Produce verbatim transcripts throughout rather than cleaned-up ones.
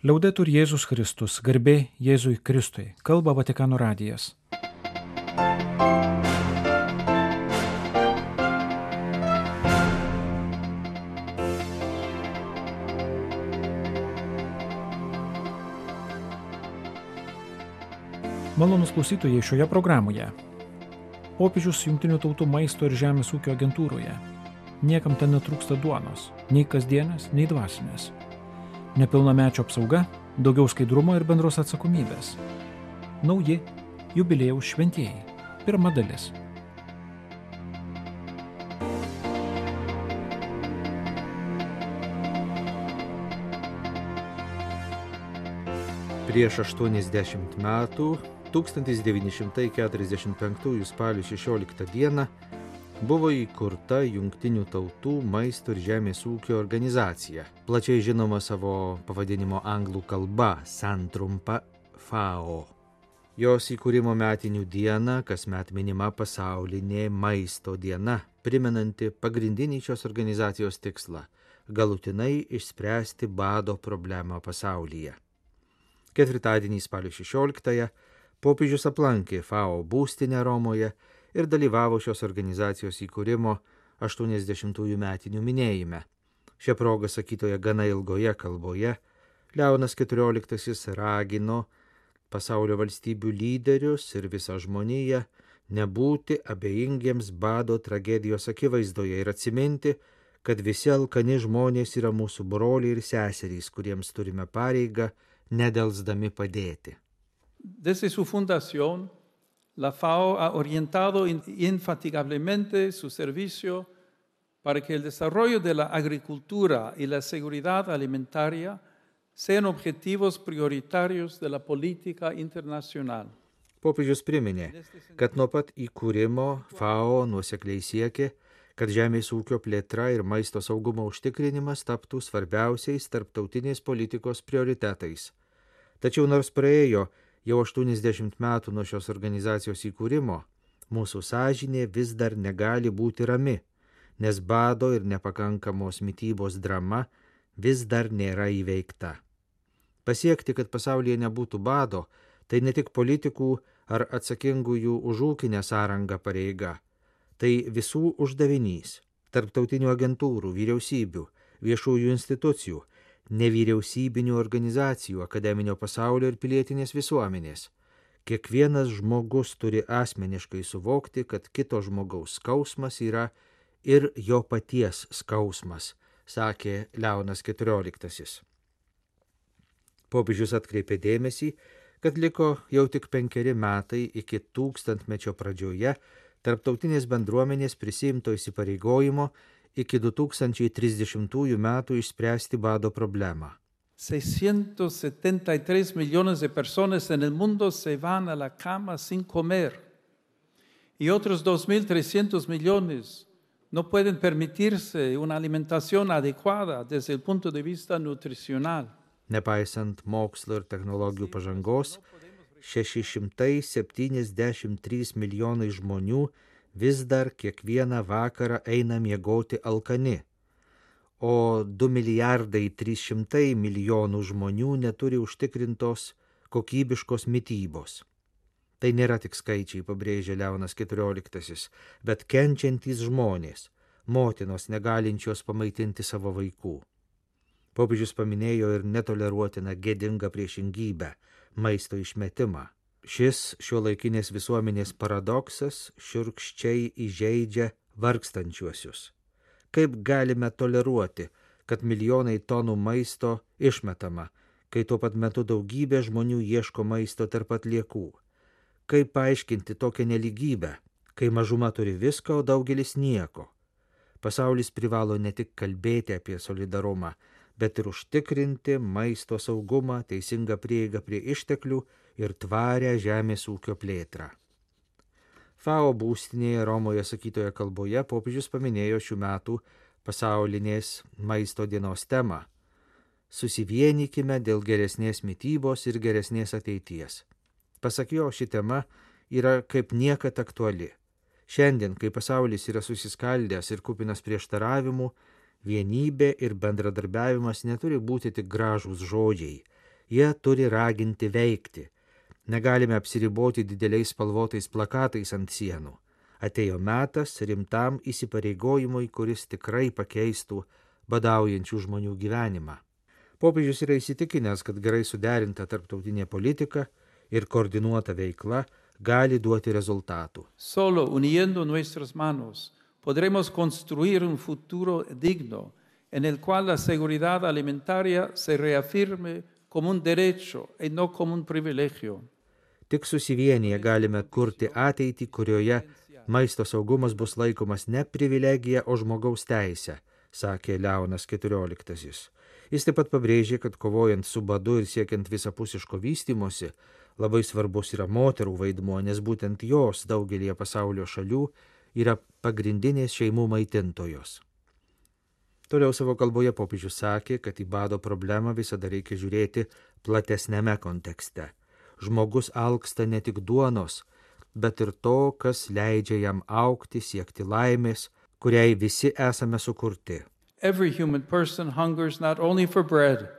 Liaudetur Jėzus Kristus, garbė Jėzui Kristui, kalba Vatikano radijas. Malonūs klausytojai, šioje programoje popiežius Jungtinių tautų maisto ir žemės ūkio agentūroje. Niekam ten netrūksta duonos, nei kasdienės, nei dvasinės. Nepilnamečio apsauga, daugiau skaidrumo ir bendros atsakomybės. Nauji jubiliejaus šventieji. Pirma dalis. Prieš aštuoniasdešimt metų, tūkstantis devyni šimtai keturiasdešimt penktųjų spalio šešioliktą dieną, buvo įkurta Jungtinių tautų maisto ir žemės ūkio organizacija, plačiai žinoma savo pavadinimo anglų kalba, santrumpa F A O. Jos įkūrimo metinių dieną kasmet minima pasaulinė maisto diena, primenanti pagrindinį šios organizacijos tikslą – galutinai išspręsti bado problemą pasaulyje. Ketvirtadienį spalio šešioliktąją popiežius aplankė F A O būstinę Romoje ir dalyvavo šios organizacijos įkūrimo aštuoniasdešimtųjų metinių minėjime. Šią progą sakytoje gana ilgoje kalboje Leonas keturioliktasis ragino pasaulio valstybių lyderius ir visą žmoniją nebūti abejingiems bado tragedijos akivaizdoje ir atsiminti, kad visi alkani žmonės yra mūsų broliai ir seserys, kuriems turime pareigą nedelsdami padėti. Desde su fundación, la F A O ha orientado infatigablemente su servicio para que el desarrollo de la agricultura y la seguridad alimentaria sean objetivos prioritarios de la política internacional. Popiežius priminė, kad nuo pat įkūrimo F A O nuosekliai siekė, kad žemės ūkio plėtra ir maisto saugumo užtikrinimas taptų svarbiausiais tarptautinės politikos prioritetais. Tačiau nors praėjo jau aštuoniasdešimt metų nuo šios organizacijos įkūrimo, mūsų sąžinė vis dar negali būti rami, nes bado ir nepakankamos mitybos drama vis dar nėra įveikta. Pasiekti, kad pasaulyje nebūtų bado, tai ne tik politikų ar atsakingųjų už ūkinę sąrangą pareiga, tai visų uždavinys – tarptautinių agentūrų, vyriausybių, viešųjų institucijų, nevyriausybinių organizacijų, akademinio pasaulio ir pilietinės visuomenės. Kiekvienas žmogus turi asmeniškai suvokti, kad kito žmogaus skausmas yra ir jo paties skausmas, sakė Leonas keturioliktasis. Popiežius atkreipė dėmesį, kad liko jau tik penkeri metai iki tūkstantmečio pradžioje tarptautinės bendruomenės prisiimto įsipareigojimo iki du tūkstančiai trisdešimtųjų metų išspręsti bado problemą. seiscientos setenta y tres millones de personas en el mundo se van a la cama sin comer y otros dos mil trescientos millones no pueden permitirse una alimentación adecuada desde el punto de vista nutricional. Nepaisant mokslo ir technologijų pažangos, šeši šimtai septyniasdešimt trys milijonai žmonių vis dar kiekvieną vakarą eina miegoti alkani, o du milijardai trys šimtai milijonų žmonių neturi užtikrintos kokybiškos mitybos. Tai nėra tik skaičiai, pabrėžė Leonas keturioliktasis, bet kenčiantys žmonės, motinos negalinčios pamaitinti savo vaikų. Popiežius paminėjo ir netoleruotiną gėdingą priešingybę – maisto išmetimą. Šis šiuolaikinės visuomenės paradoksas šiurkščiai įžeidžia vargstančiuosius. Kaip galime toleruoti, kad milijonai tonų maisto išmetama, kai tuo pat metu daugybė žmonių ieško maisto tarp atliekų? Kaip paaiškinti tokią nelygybę, kai mažuma turi viską, o daugelis nieko? Pasaulis privalo ne tik kalbėti apie solidarumą, bet ir užtikrinti maisto saugumą, teisingą prieigą prie išteklių ir tvarę žemės ūkio plėtrą. F A O būstinėje Romoje sakytoje kalboje popiežius paminėjo šių metų pasaulinės maisto dienos temą – susivienykime dėl geresnės mitybos ir geresnės ateities. Pasak jo, ši tema yra kaip niekad aktuali. Šiandien, kai pasaulis yra susiskaldęs ir kupinas prieštaravimų, vienybė ir bendradarbiavimas neturi būti tik gražūs žodžiai. Jie turi raginti veikti. Negalime apsiriboti dideliais spalvotais plakatais ant sienų. Atėjo metas rimtam įsipareigojimui, kuris tikrai pakeistų badaujančių žmonių gyvenimą. Popiežius yra įsitikinęs, kad gerai suderinta tarptautinė politika ir koordinuota veikla gali duoti rezultatų. Solo uniendo nuestras manos podremos construir un futuro digno en el cual la seguridad alimentaria se reafirme como un derecho y no como un privilegio. Tik susivienyje galime kurti ateitį, kurioje maisto saugumas bus laikomas ne privilegija, o žmogaus teisė, sakė Leonas keturioliktasis. Jis taip pat pabrėžė, kad kovojant su badu ir siekiant visapusiško vystymosi, labai svarbus yra moterų vaidmuo, nes būtent jos daugelį pasaulio šalių yra pagrindinės šeimų maitintojos. Toliau savo kalboje popiežius sakė, kad į bado problemą visada reikia žiūrėti platesnėme kontekste. Žmogus alksta ne tik duonos, bet ir to, kas leidžia jam augti, siekti laimės, kuriai visi esame sukurti. Every human person hungers not only for bread,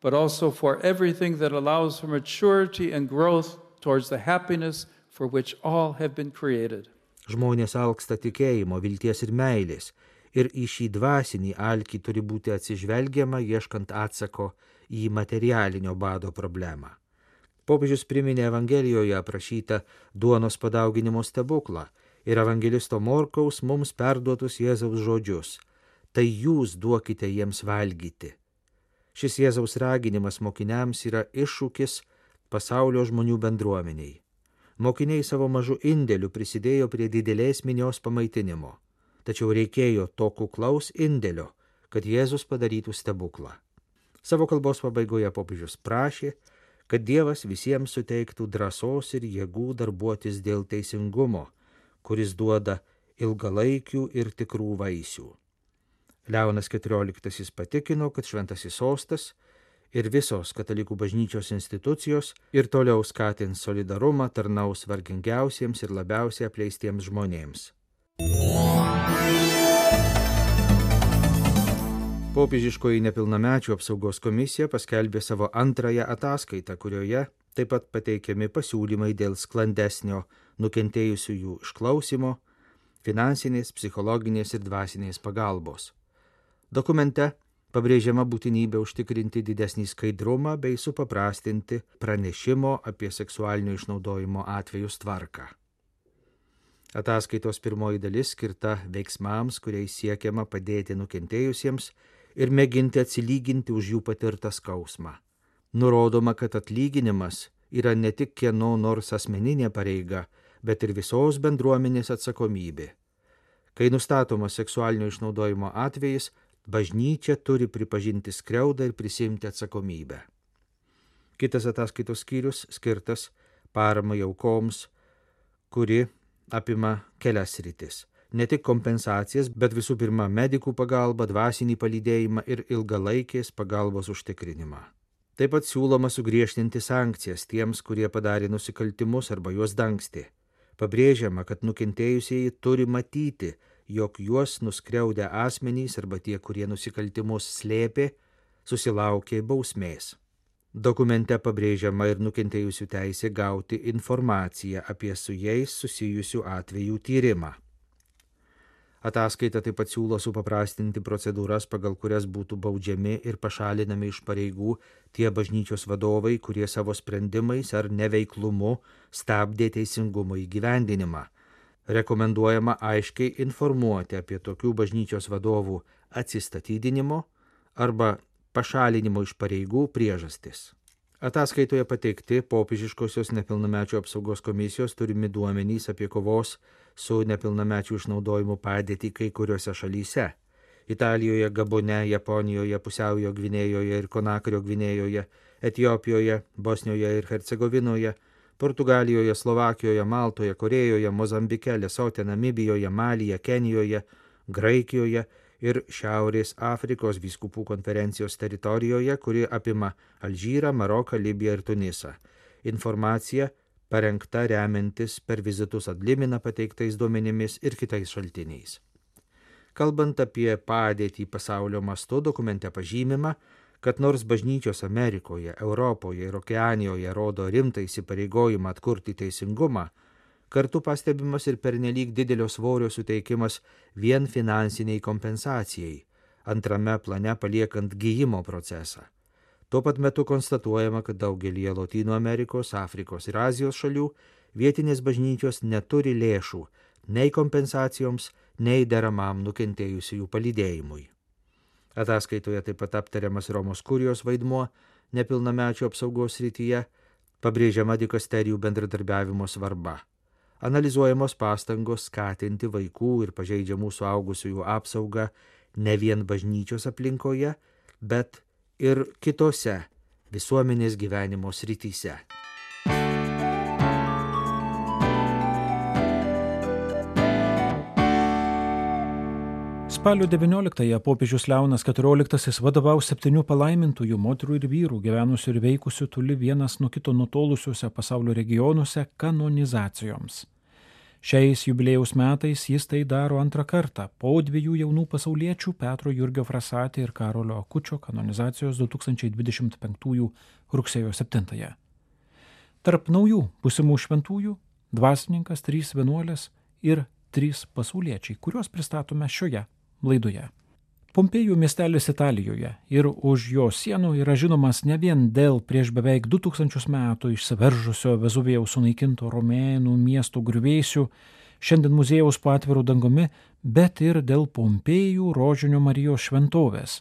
but also for everything that allows for maturity and growth towards the happiness for which all have been created. Žmonės alksta tikėjimo, vilties ir meilės, ir į šį dvasinį alkį turi būti atsižvelgiama, ieškant atsako į materialinio bado problemą. Popiežius priminė Evangelijoje aprašytą duonos padauginimo stebuklą ir evangelisto Morkaus mums perduotus Jėzaus žodžius. Tai jūs duokite jiems valgyti. Šis Jėzaus raginimas mokiniams yra iššūkis pasaulio žmonių bendruomeniai. Mokiniai savo mažu indėliu prisidėjo prie didelės minios pamaitinimo, tačiau reikėjo to kuklaus indėlio, kad Jėzus padarytų stebuklą. Savo kalbos pabaigoje popiežius prašė, kad Dievas visiems suteiktų drąsos ir jėgų darbuotis dėl teisingumo, kuris duoda ilgalaikių ir tikrų vaisių. Leonas keturioliktasis patikino, kad Šventasis Sostas ir visos katalikų bažnyčios institucijos ir toliau skatins solidarumą, tarnaus vargingiausiems ir labiausiai apleistiems žmonėms. Popiežiškoji nepilnamečių apsaugos komisija paskelbė savo antrąją ataskaitą, kurioje taip pat pateikiami pasiūlymai dėl sklandesnio nukentėjusiųjų išklausimo, finansinės, psichologinės ir dvasinės pagalbos. Dokumente pabrėžiama būtinybė užtikrinti didesnį skaidrumą bei supaprastinti pranešimo apie seksualinio išnaudojimo atvejus tvarką. Ataskaitos pirmoji dalis skirta veiksmams, kuriais siekiama padėti nukentėjusiems ir mėginti atsilyginti už jų patirtą skausmą. Nurodoma, kad atlyginimas yra ne tik kieno nors asmeninė pareiga, bet ir visos bendruomenės atsakomybė. Kai nustatomas seksualinio išnaudojimo atvejis, bažnyčia turi pripažinti skriaudą ir prisimti atsakomybę. Kitas ataskaitos skyrius skirtas paramai aukoms, kuri apima kelias sritis. Ne tik kompensacijas, bet visų pirma medikų pagalbą, dvasinį palydėjimą ir ilgalaikės pagalbos užtikrinimą. Taip pat siūloma sugriežtinti sankcijas tiems, kurie padarė nusikaltimus arba juos dangstė. Pabrėžiama, kad nukentėjusieji turi matyti, jog juos nuskriaudę asmenys arba tie, kurie nusikaltimus slėpė, susilaukė bausmės. Dokumente pabrėžiama ir nukentėjusių teisė gauti informaciją apie su jais susijusių atvejų tyrimą. Ataskaita taip pat siūlo supaprastinti procedūras, pagal kurias būtų baudžiami ir pašalinami iš pareigų tie bažnyčios vadovai, kurie savo sprendimais ar neveiklumu stabdė teisingumo įgyvendinimą. Rekomenduojama aiškiai informuoti apie tokių bažnyčios vadovų atsistatydinimo arba pašalinimo iš pareigų priežastis. Ataskaitoje pateikti popiežiškosios nepilnamečių apsaugos komisijos turimi duomenys apie kovos su nepilnamečių išnaudojimu padėtį kai kuriuose šalyse. Italijoje, Gabone, Japonijoje, Pusiaujo Gvinėjoje ir Konakario Gvinėjoje, Etiopijoje, Bosnijoje ir Hercegovinoje, Portugalijoje, Slovakijoje, Maltoje, Korėjoje, Mozambike, Lesote, Namibijoje, Malyje, Kenijoje, Graikijoje ir Šiaurės Afrikos vyskupų konferencijos teritorijoje, kuri apima Alžyrą, Maroką, Libiją ir Tunisą. Informacija parengta remiantis per vizitus ad limina pateiktais duomenimis ir kitais šaltiniais. Kalbant apie padėtį pasaulio mastu, dokumente pažymima, kad nors bažnyčios Amerikoje, Europoje ir Okeanijoje rodo rimtą įsipareigojimą atkurti teisingumą, kartu pastebimas ir pernelyg didelio svorio suteikimas vien finansiniai kompensacijai, antrame plane paliekant gijimo procesą. Tuo pat metu konstatuojama, kad daugelį Lotynų Amerikos, Afrikos ir Azijos šalių vietinės bažnyčios neturi lėšų nei kompensacijoms, nei deramam nukentėjusiųjų palydėjimui. Ataskaitoje taip pat aptariamas Romos kurijos vaidmuo nepilnamečių apsaugos srityje, pabrėžiama dikasterijų bendradarbiavimo svarba. Analizuojamos pastangos skatinti vaikų ir pažeidžiamų suaugusiųjų apsaugą ne vien bažnyčios aplinkoje, bet ir kitose visuomenės gyvenimo srityse. Spalio devynioliktąją popiežius Leonas keturioliktasis vadovaus septynių palaimintųjų moterų ir vyrų gyvenusių ir veikusių toli vienas nuo kito nutolusiuose pasaulio regionuose kanonizacijoms. Šiais jubiliejaus metais jis tai daro antrą kartą po dviejų jaunų pasauliečių Petro Jurgio Frasati ir Karolio Akučio kanonizacijos du tūkstančiai dvidešimt penktųjų rugsėjo septintąją. Tarp naujų būsimų šventųjų dvasininkas, trys vienuolės ir trys pasauliečiai, kuriuos pristatome šioje laidoje. Pompėjų miestelis Italijoje ir už jo sienų yra žinomas ne vien dėl prieš beveik du tūkstančius metų išsiveržusio Vezuvijaus sunaikinto romėnų miesto griuvėsių, šiandien muziejaus po atviru dangumi, bet ir dėl Pompėjų Rožinio Marijos šventovės,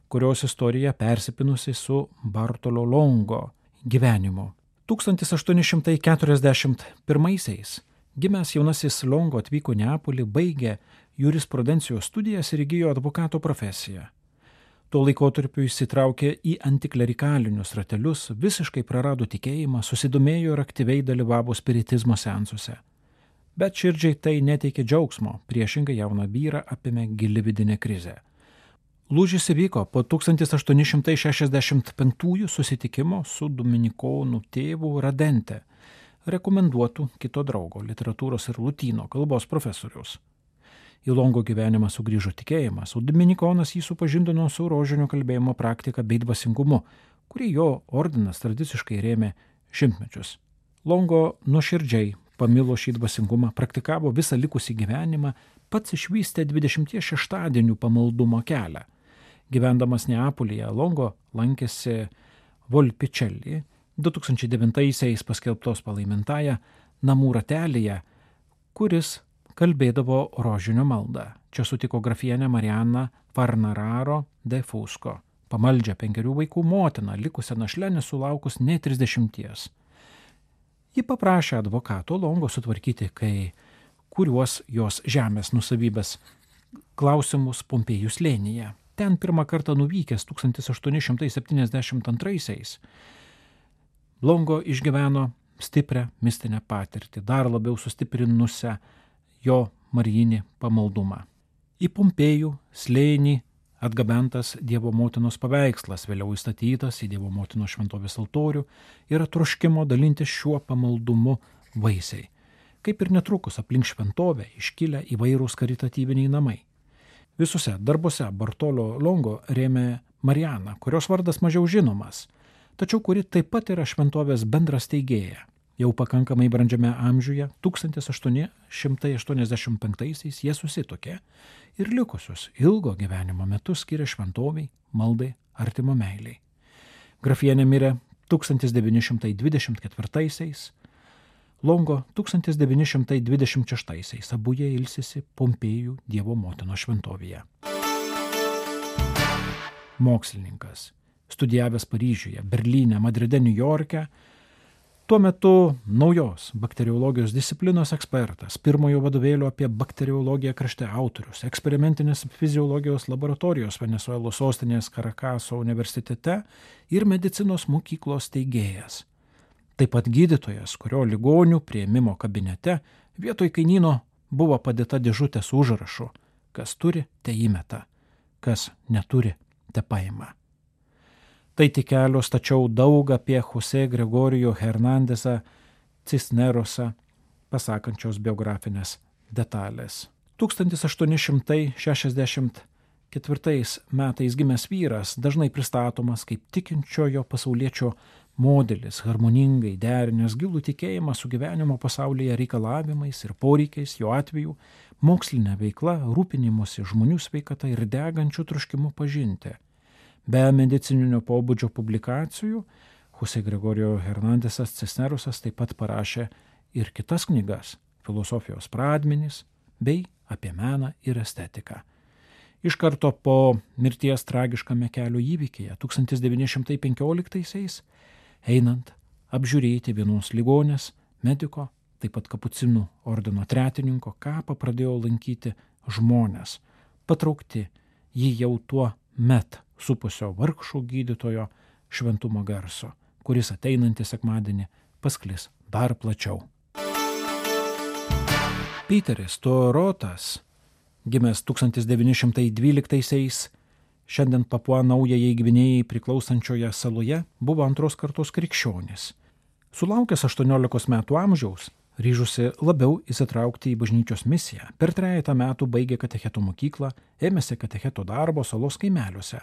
kurios istorija persipinusi su Bartolo Longo gyvenimu. tūkstantis aštuoni šimtai keturiasdešimt pirmaisiais gimęs jaunasis Longo atvyko į Neapolį, baigė jurisprudencijos studijas ir įgijo advokato profesiją. Tuo laikotarpiu įsitraukė į antiklerikalinius ratelius, visiškai prarado tikėjimą, susidomėjo ir aktyviai dalyvavo spiritizmo seansuose. Bet širdžiai tai neteikė džiaugsmo, priešingai jauną vyrą apėmė gili vidinė krizė. Lūžis įvyko po tūkstantis aštuoni šimtai šešiasdešimt penktųjų susitikimo su dominikonų tėvu Radente, rekomenduotų kito draugo, literatūros ir lotynų kalbos profesoriaus. Į Longo gyvenimą sugrįžo tikėjimas, o dominikonas jį supažindino su rožinio kalbėjimo praktika bei dvasingumu, kurį jo ordinas tradiciškai rėmė šimtmečius. Longo nuoširdžiai pamilo šį dvasingumą, praktikavo visą likusį gyvenimą, pats išvystė dvidešimties šeštadienių pamaldumo kelią. Gyvendamas Neapolyje, Longo lankėsi Volpičelį, du tūkstančiai devintaisiais paskelbtos palaimintąją namų ratelyje, kuris kalbėdavo rožinio maldą. Čia sutiko grafienę Marianą Farnararo de Fusco, pamaldžią penkerių vaikų motiną, likusią našlę nesulaukus nei trisdešimties. Ji paprašė advokato Longo sutvarkyti kai kuriuos jos žemės nusavybės klausimus Pompėjų slėnyje. Ten pirmą kartą nuvykęs tūkstantis aštuoni šimtai septyniasdešimt antraisiais Longo išgyveno stiprią mistinę patirtį, dar labiau sustiprinusią jo marijinį pamaldumą. Į Pompėjų slėnį atgabentas Dievo motinos paveikslas, vėliau įstatytas į Dievo motinos šventovės altorių, yra troškimo dalintis šiuo pamaldumu vaisiai. Kaip ir netrukus aplink šventovę iškilę įvairūs karitatyviniai namai. Visuose darbuose Bartolo Longo rėmė Marianą, kurios vardas mažiau žinomas, tačiau kuri taip pat yra šventovės bendras steigėja. Jau pakankamai brandžiame amžiuje, tūkstantis aštuoni šimtai aštuoniasdešimt penktaisiais jie susituokė ir likusius ilgo gyvenimo metus skiria šventoviai, maldai, artimo meiliai. Grafienė mirė tūkstantis devyni šimtai dvidešimt ketvirtaisiais, Longo tūkstantis devyni šimtai dvidešimt šeštaisiais, abu jie ilsisi Pompėjų Dievo motinos šventovėje. Mokslininkas, studijavęs Paryžiuje, Berlyne, Madride, Niujorke, tuo metu naujos bakteriologijos disciplinos ekspertas, pirmojo vadovėlio apie bakteriologiją krašte autorius, eksperimentinės fiziologijos laboratorijos Venesuelos sostinės Karakaso universitete ir medicinos mokyklos steigėjas. Taip pat gydytojas, kurio ligonių priėmimo kabinete vietoj kainyno buvo padėta dėžutė su užrašu, kas turi, te įmeta, kas neturi, te paima. Tai tik kelios, tačiau daug apie Jose Gregorio Hernandesą Cisnerosą pasakančios biografinės detalės. tūkstantis aštuoni šimtai šešiasdešimt ketvirtais metais gimęs vyras dažnai pristatomas kaip tikinčiojo pasauliečio modelis, harmoningai derinęs gilų tikėjimą su gyvenimo pasaulyje reikalavimais ir poreikiais, jo atveju mokslinė veikla, rūpinimusi žmonių sveikata ir degančių troškimu pažinti. Be medicininio pobūdžio publikacijų, Jose Gregorio Hernandesas Cisnerusas taip pat parašė ir kitas knygas – filosofijos pradmenys bei apie meną ir estetiką. Iš karto po mirties tragiškame kelio įvykyje tūkstantis devyni šimtai penkioliktaisiais, einant apžiūrėti vienos ligonės mediko, taip pat kapucinų ordino tretininko kapą pradėjo lankyti žmonės, patraukti jį jau tuo met supusio vargšų gydytojo šventumo garso, kuris ateinantį sekmadienį pasklis dar plačiau. Piteris Torotas, gimęs tūkstantis devyni šimtai dvyliktaisiais, šiandien Papua Naujajai Gvinėjai priklausančioje saloje, buvo antros kartos krikščionis. Sulaukęs aštuoniolikos metų amžiaus, ryžusi labiau įsitraukti į bažnyčios misiją, per trejetą metų baigė katecheto mokyklą, ėmėsi katecheto darbo salos kaimeliuose,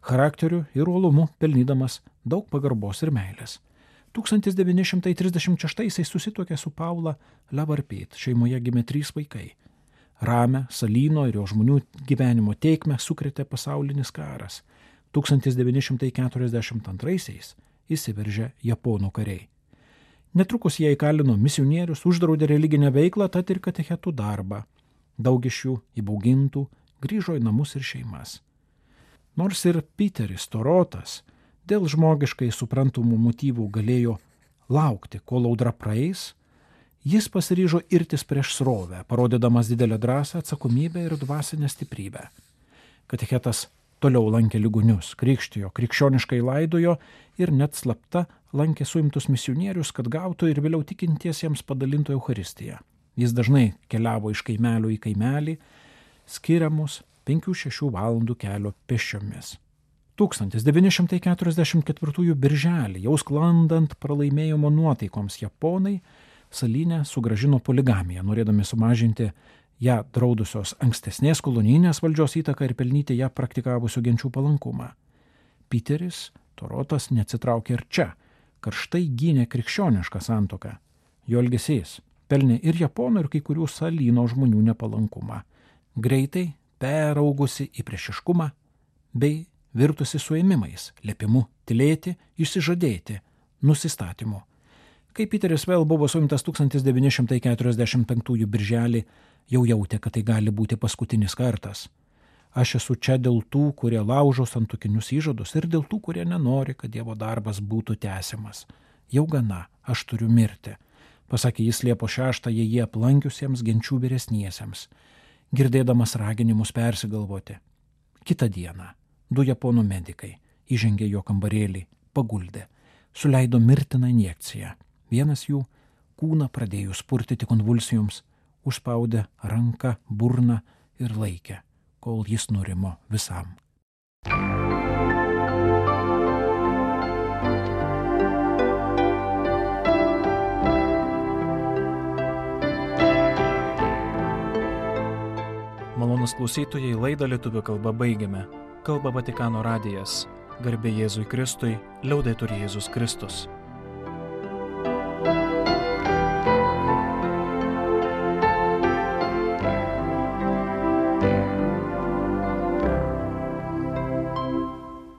charakteriu ir uolumu pelnydamas daug pagarbos ir meilės. tūkstantis devyni šimtai trisdešimt šeštaisiais susituokė su Paula Levarpet, šeimoje gimė trys vaikai. Ramę, Salyno ir jo žmonių gyvenimo tėkmę sukrėtė pasaulinis karas. tūkstantis devyni šimtai keturiasdešimt antraisiais įsiveržė japonų kariai. Netrukus jie įkalino misionierius, uždraudė religinę veiklą, tad ir katechetų darbą. Daug iš jų įbaugintų grįžo į namus ir šeimas. Nors ir Piteris Torotas dėl žmogiškai suprantamų motyvų galėjo laukti, kol audra praeis, jis pasiryžo irtis prieš srovę, parodydamas didelę drąsą, atsakomybę ir dvasinę stiprybę. Katechetas toliau lankė ligonius, krikštijo, krikščioniškai laidojo ir net slapta lankė suimtus misionierius, kad gautų ir vėliau tikintiesiems padalintų Eucharistiją. Jis dažnai keliavo iš kaimelio į kaimelį, skiriamus penkių šešių valandų kelio pėsčiomis. tūkstantis devyni šimtai keturiasdešimt ketvirtųjų birželį, jau sklandant pralaimėjimo nuotaikoms, japonai Salyne sugrąžino poligamiją, norėdami sumažinti ją draudusios ankstesnės kolonijinės valdžios įtaką ir pelnyti ją praktikavusių genčių palankumą. Piteris Torotas neatsitraukė ir čia, karštai gynė krikščionišką santuoką. Jo elgesys pelnė ir japonų, ir kai kurių Salyno žmonių nepalankumą. Greitai peraugusi į priešiškumą bei virtusi suėmimais, liepimu tylėti, išsižadėti, nusistatymu. Kai Piteris vėl buvo suimtas tūkstantis devyni šimtai keturiasdešimt penktųjų birželį, jau jautė, kad tai gali būti paskutinis kartas. Aš esu čia dėl tų, kurie laužo santuokinius įžadus ir dėl tų, kurie nenori, kad Dievo darbas būtų tęsiamas. Jau gana, aš turiu mirti, pasakė jis Liepos šeštąją jį aplankiusiems genčių vyresniesiems, girdėdamas raginimus persigalvoti. Kitą dieną du japonų medikai įžengė jo kambarėlį, paguldė, suleido mirtiną injekciją. Vienas jų, kūną pradėjus purtyti konvulsijoms, užspaudė ranką, burną ir laikė, kol jis nurimo visam. Malonūs klausytojai, laidą lietuvių kalba baigiame. Kalba Vatikano radijas. Garbė Jėzui Kristui, liaudetur Jėzus Kristus.